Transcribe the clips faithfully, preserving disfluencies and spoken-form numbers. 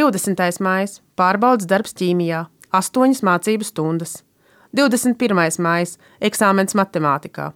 divdesmitais maijs – pārbaudes darbs ķīmijā, astoņas mācību stundas. divdesmit pirmais maijs – eksāmens matemātikā.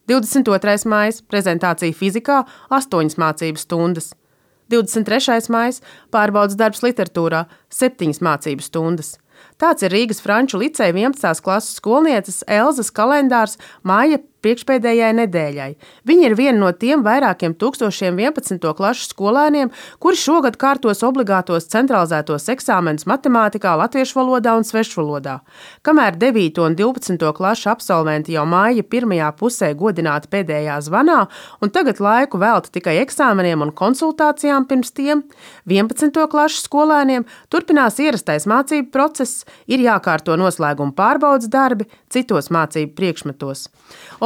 divdesmit otrais maijs – prezentācija fizikā, astoņas mācību stundas. divdesmit trešais maijs – pārbaudes darbs literatūrā, septiņas mācību stundas. Tāds ir Rīgas Franču liceja vienpadsmitās klases skolnieces Elzas kalendārs māja priekšpēdējai nedēļai. Viņa ir viena no tiem vairākiem tūkstošiem vienpadsmito klašu skolēniem, kuri šogad kārtos obligātos centralizētos eksāmenus matemātikā, latviešu valodā un svešvalodā. Kamēr devīto un divpadsmito klašu absolventi jau māja pirmajā pusē godināti pēdējā zvanā un tagad laiku velta tikai eksāmeniem un konsultācijām pirms tiem, vienpadsmito klašu skolēniem turpinās ierastais mācību process, ir jākārto noslēguma pārbaudes darbi citos mācību priekšmetos.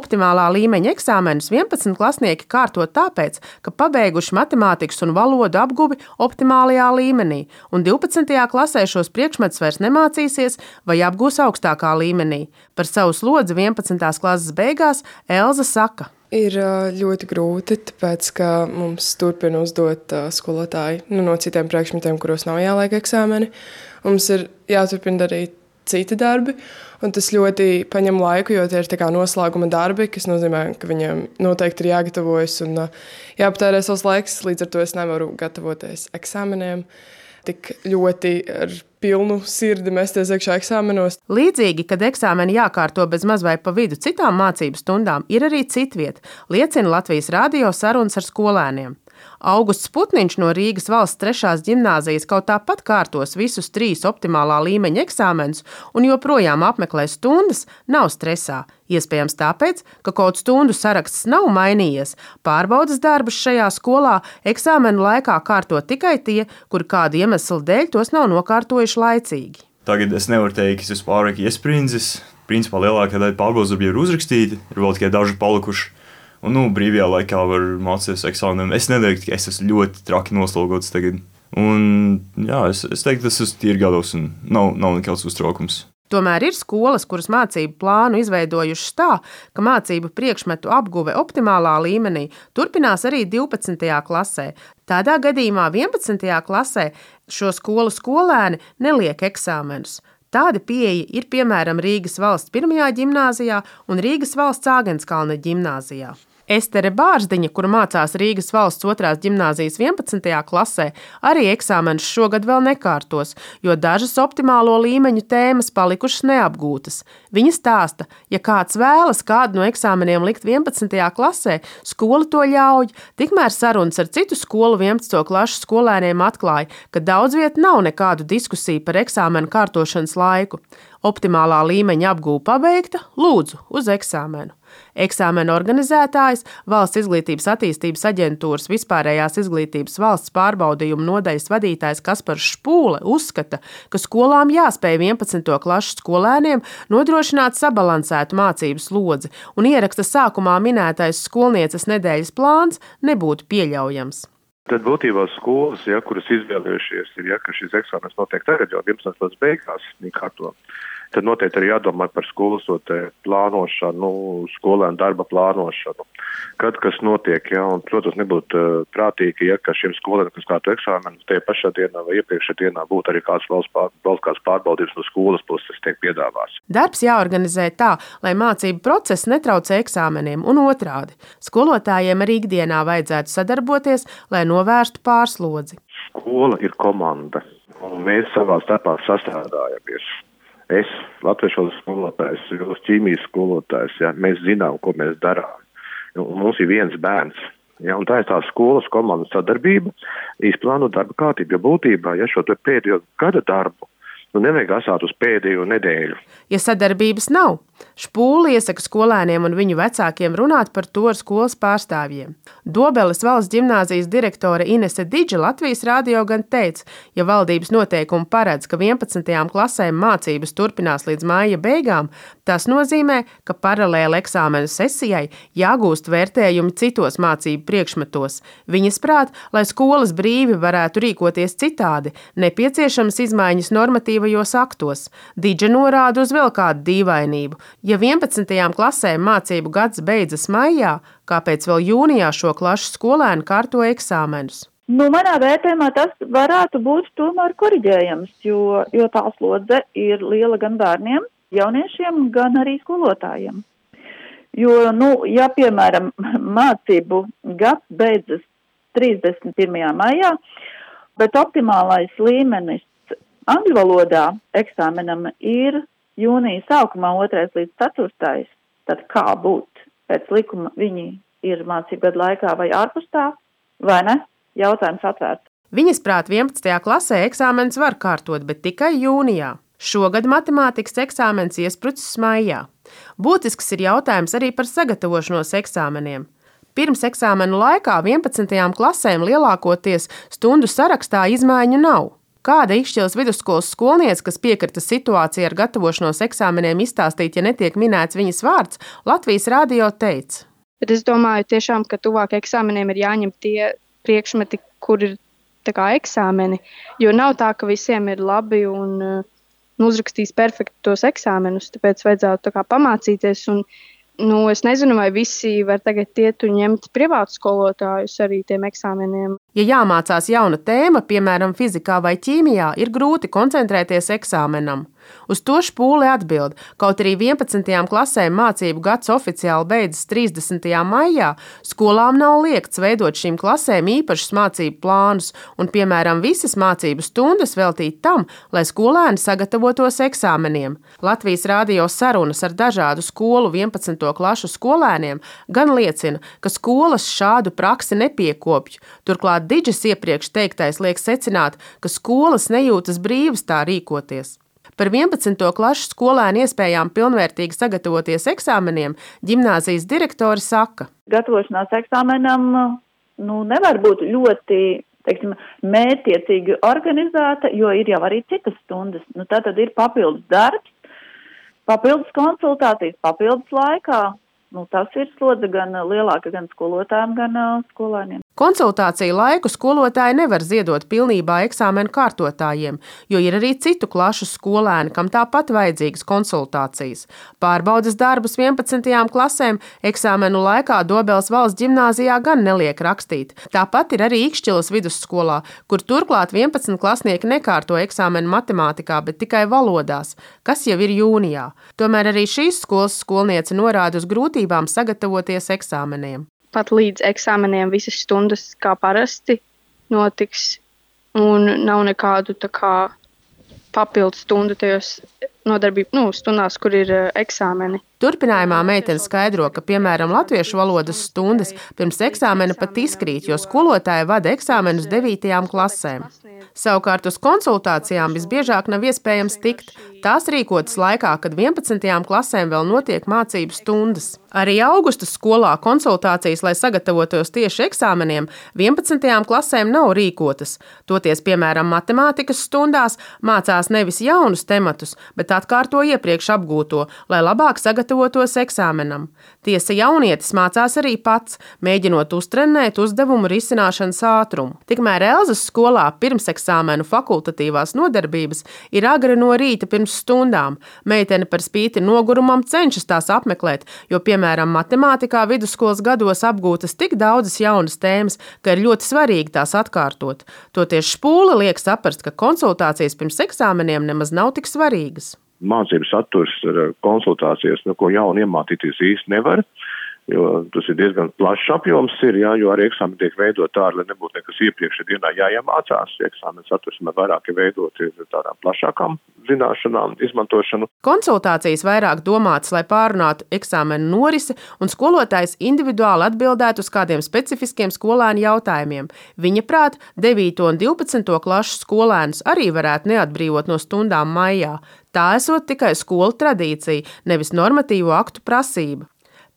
Optimālā līmeņa eksāmenus vienpadsmit klasnieki kārto tāpēc, ka pabeiguši matemātikas un valodu apguvi optimālajā līmenī, un divpadsmitajā klasē šos priekšmetus vairs nemācīsies vai apgūs augstākā līmenī. Par savu slodzi vienpadsmitās klases beigās Elza saka. Ir ļoti grūti, tāpēc, ka mums turpina uzdot skolotāji nu, no citiem priekšmetiem, kuros nav jāliek eksāmeni. Mums ir jāturpina darīt citi darbi, un tas ļoti paņem laiku, jo tie ir tā kā noslēguma darbi, kas nozīmē, ka viņiem noteikti ir jāgatavojas un jāpatērē savs laiks, līdz ar to es nevaru gatavoties eksāmeniem. Tik ļoti ar pilnu sirdi mesties iekšā eksāmenos. Līdzīgi, kad eksāmeni jākārto bez maz vai pa vidu citām mācību stundām, ir arī citvieta, liecina Latvijas radio sarunas ar skolēniem. Augusts Putniņš no Rīgas valsts trešās ģimnāzijas kaut tāpat kārtos visus trīs optimālā līmeņa eksāmenus un joprojām apmeklē stundas, nav stresā. Iespējams tāpēc, ka kaut stundu saraksts nav mainījies. Pārbaudes darbus šajā skolā eksāmenu laikā kārto tikai tie, kuri kādu iemeslu dēļ tos nav nokārtojuši laicīgi. Tagad es nevaru teikt, ka es esmu pārāk iesprindzis. Principā lielākā daļa pārbaudes darbi ir uzrakstīti, ir vēl tikai daži palikuši. Un, nu, brīvajā laikā var mācīties eksāmeniem. Es neteiktu, ka es esmu ļoti traki noslogots tagad. Un, jā, es, es teiktu, tas ir tīri gados un nav, nav nekāds uztraukums. Tomēr ir skolas, kuras mācību plānu izveidojušas tā, ka mācību priekšmetu apguve optimālā līmenī turpinās arī divpadsmitajā klasē. Tādā gadījumā vienpadsmitajā klasē šo skolu skolēni neliek eksāmenus. Tāda pieeja ir piemēram Rīgas valsts pirmajā ģimnāzijā un Rīgas valsts Āgenskalna ģimnāzijā. Estere Bārzdiņa, kura mācās Rīgas valsts otrās ģimnāzijas vienpadsmitajā klasē, arī eksāmenus šogad vēl nekārtos, jo dažas optimālo līmeņu tēmas palikušas neapgūtas. Viņa stāsta, ja kāds vēlas kādu no eksāmeniem likt vienpadsmitajā klasē, skola to ļauj, tikmēr sarunas ar citu skolu vienpadsmito klašu skolēniem atklāja, ka daudz viet nav nekādu diskusiju par eksāmenu kārtošanas laiku. Optimālā līmeņa apgūve pabeigta, lūdzu, uz eksāmenu. Eksāmena organizētājs, Valsts izglītības attīstības aģentūras vispārējās izglītības valsts pārbaudījuma nodaļas vadītājs Kaspars Špūle uzskata, ka skolām jāspēj vienpadsmito klašu skolēniem nodrošināt sabalansētu mācību slodzi, un ieraksta sākumā minētais skolnieces nedēļas plāns nebūtu pieļaujams. Tad būtībā skolas, ja, kuras izvēlējušies, ir, ja, ka šis eksāmens notiek tagad jau vienpadsmitās klases beigās, kārto, tad noteikti arī jādomā par skolas plānošanu, skolēnu darba plānošanu. Kad kas notiek, ja, un, protams, nebūtu uh, prātīgi, ja, ka šiem skolēniem, kas kārto eksāmenu, tajā pašā dienā vai iepriekšējā dienā būtu arī kāds valsts, pār, valsts kāds pārbaudījums no skolas puses tiek piedāvāts. Darbs jāorganizē tā, lai mācību process netraucē eksāmeniem un otrādi. Skolotājiem arī ikdienā vajadzētu sadarboties, lai novērstu pārslodzi. Skola ir komanda, un mēs savā starpā sastrādājamies. Es, latviešu valodas skolotājs, jūs ķīmijas skolotājs, ja, mēs zinām, ko mēs darām. Un mums ir viens bērns. Ja, un tā ir tā skolas komandas sadarbība, izplānot darba kārtību, jo būtībā, ja šo pēdējo gada darbu, nu nevajag asāt uz pēdējo nedēļu. Ja sadarbības nav, Špūle iesaka skolēniem un viņu vecākiem runāt par to ar skolas pārstāvjiem. Dobeles valsts ģimnāzijas direktore Inese Didža Latvijas radio gan teica, ja valdības noteikumi paredz, ka vienpadsmitajām klasēm mācības turpinās līdz māja beigām, tas nozīmē, ka paralēli eksāmenu sesijai jāgūst vērtējumi citos mācību priekšmetos. Viņas prāt, lai skolas brīvi varētu rīkoties citādi, nepieciešamas izmaiņas normatīvajos aktos. Didža norāda uz vēl kādu dīvainību. Ja vienpadsmitajām klasēm mācību gads beidzas maijā, kāpēc vēl jūnijā šo klašu skolēni kārto eksāmenus? Nu, manā vērtējumā tas varētu būt tomēr koriģējams, jo, jo tā slodze ir liela gan bērniem, jauniešiem, gan arī skolotājiem. Jo, nu, ja, piemēram, mācību gads beidzas trīsdesmit pirmajā maijā, bet optimālais līmenis angļu valodā eksāmenam ir jūnija sākumā otrais līdz ceturtais, tad kā būt pēc likuma viņi ir mācību gadu laikā vai ārpus tā, vai ne? Jautājums atvērts. Viņas prāt vienpadsmitajā klasē eksāmens var kārtot, bet tikai jūnijā. Šogad matemātikas eksāmens iesprucis maijā. Būtisks ir jautājums arī par sagatavošanos eksāmeniem. Pirms eksāmenu laikā vienpadsmitajām klasēm lielākoties stundu sarakstā izmaiņu nav. Kāda Ikšķilas vidusskolas skolniece, kas piekrita situāciju ar gatavošanos eksāmeniem izstāstīt, ja netiek minēts viņas vārds, Latvijas radio teica. Bet es domāju tiešām, ka tuvāk eksāmeniem ir jāņem tie priekšmeti, kur ir tā kā eksāmeni, jo nav tā, ka visiem ir labi un uh, uzrakstīs perfekti tos eksāmenus, tāpēc vajadzētu tā kā pamācīties un nu, es nezinu, vai visi var tagad iet un ņemt privātu skolotājus arī tiem eksāmeniem. Ja jāmācās jauna tēma, piemēram, fizikā vai ķīmijā, ir grūti koncentrēties eksāmenam. Uz to Špūle atbild, kaut arī vienpadsmitajām klasēm mācību gads oficiāli beidzas trīsdesmitajā maijā, skolām nav liegts veidot šīm klasēm īpašus mācību plānus un, piemēram, visas mācību stundas veltīt tam, lai skolēni sagatavotos eksāmeniem. Latvijas radio sarunas ar dažādu skolu vienpadsmito klašu skolēniem gan liecina, ka skolas šādu praksi nepiekopj. Turklāt Didžas iepriekš teiktais liek secināt, ka skolas nejūtas brīvas tā rīkoties. Par vienpadsmito klašu skolēnu iespējām pilnvērtīgi sagatavoties eksāmeniem ģimnāzijas direktori saka. Gatavošanās eksāmenam nu, nevar būt ļoti, teiksim, mērķtiecīgi organizēta, jo ir jau arī citas stundas. Nu, tātad ir papildus darbs, papildus konsultācijas, papildus laikā. Nu, tas ir slodze gan lielāka gan skolotājiem, gan uh, skolēniem. Konsultāciju laiku skolotāji nevar ziedot pilnībā eksāmenu kārtotājiem, jo ir arī citu klašu skolēni, kam tāpat vajadzīgas konsultācijas. Pārbaudes darbus vienpadsmitajām klasēm eksāmenu laikā Dobeles valsts ģimnāzijā gan neliek rakstīt. Tāpat ir arī Ikšķilas vidusskolā, kur turklāt vienpadsmit klasnieki nekārto eksāmenu matemātikā, bet tikai valodās, kas jau ir jūnijā. Tomēr arī šīs skolas skolniece norāda uz grūtībām sagatavoties eksāmeniem. Pat līdz eksāmeniem visas stundas kā parasti notiks un nav nekādu tā kā papildu stundu tajos nodarbību, nu, stundās, kur ir uh, eksāmeni. Turpinājumā meitene skaidro, ka, piemēram, latviešu valodas stundas pirms eksāmena pat izkrīt, jo skolotāja vada eksāmenus devītajām klasēm. Savukārt uz konsultācijām visbiežāk nav iespējams tikt. Tās rīkotas laikā, kad vienpadsmitajām klasēm vēl notiek mācību stundas. Arī augusta skolā konsultācijas, lai sagatavotos tieši eksāmeniem, vienpadsmitajām klasēm nav rīkotas. Toties, piemēram, matemātikas stundās mācās nevis jaunus tematus, bet atkārto iepriekš apgūto, lai labāk sagatavotos eksāmenam. Tiesa, jaunietis mācās arī pats, mēģinot uztrenēt uzdevumu risināšanas ātrumu. Tikmēr Elzas skolā pirmseksāmenu fakultatīvās nodarbības ir agri no rīta pirms stundām. Meitene par spīti nogurumam cenšas tās apmeklēt, jo, piemēram, matemātikā vidusskolas gados apgūtas tik daudzas jaunas tēmas, ka ir ļoti svarīgi tās atkārtot. Toties Špūle liek saprast, ka konsultācijas pirms eksāmeniem nemaz nav tik svarīgas. Mācību saturs ar konsultācijas, no ko jauni iemācīties īsti nevar, jo tas ir diezgan plašs apjoms, ir, jā, jo arī eksāmeni tiek veidot tā, lai nebūtu nekas iepriekšējā dienā jāiemācās. Eksāmeni saturs vairāk ir veidot tādām plašākām zināšanām, izmantošanu. Konsultācijas vairāk domātas, lai pārunātu eksāmenu norisi un skolotājs individuāli atbildētu uz kādiem specifiskiem skolēnu jautājumiem. Viņa prāt, devīto un divpadsmito klašu skolēnus arī varētu neatbrīvot no stundām maijā. Tā esot tikai skolu tradīcija, nevis normatīvo aktu prasība.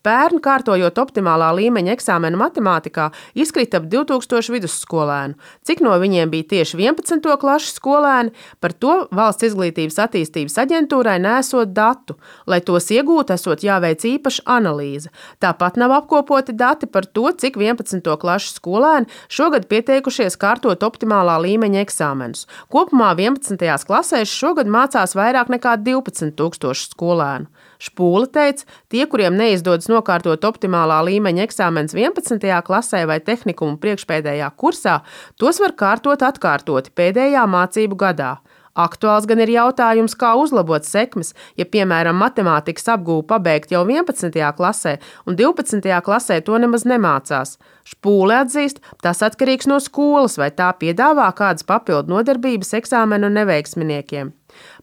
Pērn, kārtojot optimālā līmeņa eksāmenu matemātikā, izkrita ap divtūkstoši vidusskolēnu. Cik no viņiem bija tieši vienpadsmito klašu skolēni, par to Valsts izglītības attīstības aģentūrai nesot datu. Lai tos iegūtu, esot jāveic īpaša analīze. Tāpat nav apkopoti dati par to, cik vienpadsmito klašu skolēni šogad pieteikušies kārtot optimālā līmeņa eksāmenus. Kopumā vienpadsmitajās klasēs šogad mācās vairāk nekā divpadsmit tūkstoši skolēnu. Špūle teica, tie, kuriem neizdodas nokārtot optimālā līmeņa eksāmenus vienpadsmitajā klasē vai tehnikumu priekšpēdējā kursā, tos var kārtot atkārtoti pēdējā mācību gadā. Aktuāls gan ir jautājums, kā uzlabot sekmes, ja, piemēram, matemātikas apgūvu pabeigt jau vienpadsmitajā klasē un divpadsmitajā klasē to nemaz nemācās. Špūle atzīst, tas atkarīgs no skolas, vai tā piedāvā kādas papildu nodarbības eksāmenu neveiksminiekiem.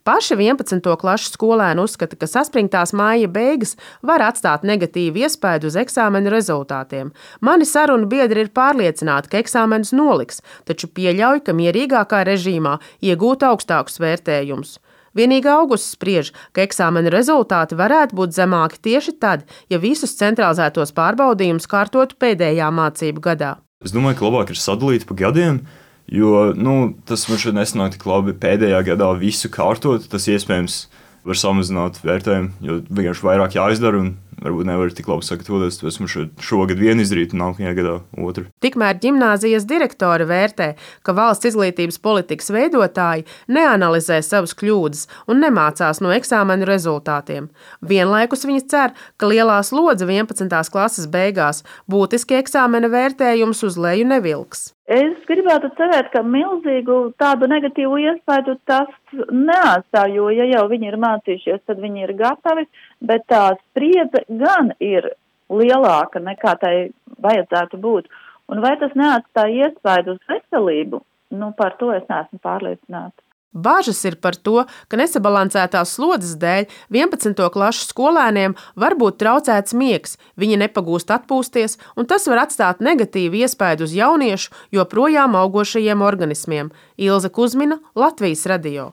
Paši vienpadsmito klašu skolēni uzskata, ka saspringtās māja beigas var atstāt negatīvu iespaidu uz eksāmenu rezultātiem. Mani sarunu biedri ir pārliecināti, ka eksāmenus noliks, taču pieļauj, ka mierīgākā režīmā iegūt augstākus vērtējumus. Vienīgi Augusts spriež, ka eksāmenu rezultāti varētu būt zemāki tieši tad, ja visus centralizētos pārbaudījumus kārtotu pēdējā mācību gadā. Es domāju, ka labāk ir sadalīt pa gadiem. Jo nu, tas man šeit nesanāk tik labi pēdējā gadā visu kārtot. Tas iespējams var samazināt vērtējumu, jo vienkārši vairāk jāizdara un varbūt nevar tik labi sagatavoties. Tāpēc man šogad vienu izdarīt un nākamajā gadā otru. Tikmēr ģimnāzijas direktore vērtē, ka valsts izglītības politikas veidotāji neanalizē savas kļūdas un nemācās no eksāmenu rezultātiem. Vienlaikus viņa cer, ka lielā slodze vienpadsmitās klases beigās būtiski eksāmena vērtējumus uz leju nevilks. Es gribētu cerēt, ka milzīgu tādu negatīvu iespaidu tas neatstāj, jo, ja jau viņi ir mācījušies, tad viņi ir gatavi, bet tā spriedze gan ir lielāka nekā tai vajadzētu būt. Un vai tas neatstāj iespaidu uz veselību? Nu, par to es neesmu pārliecināta. Bažas ir par to, ka nesabalansētās slodzes dēļ vienpadsmito klašu skolēniem var būt traucēts miegs, viņi nepagūst atpūsties, un tas var atstāt negatīvu iespaidu uz jauniešu joprojām augošajiem organismiem. Ilze Kuzmina, Latvijas radio.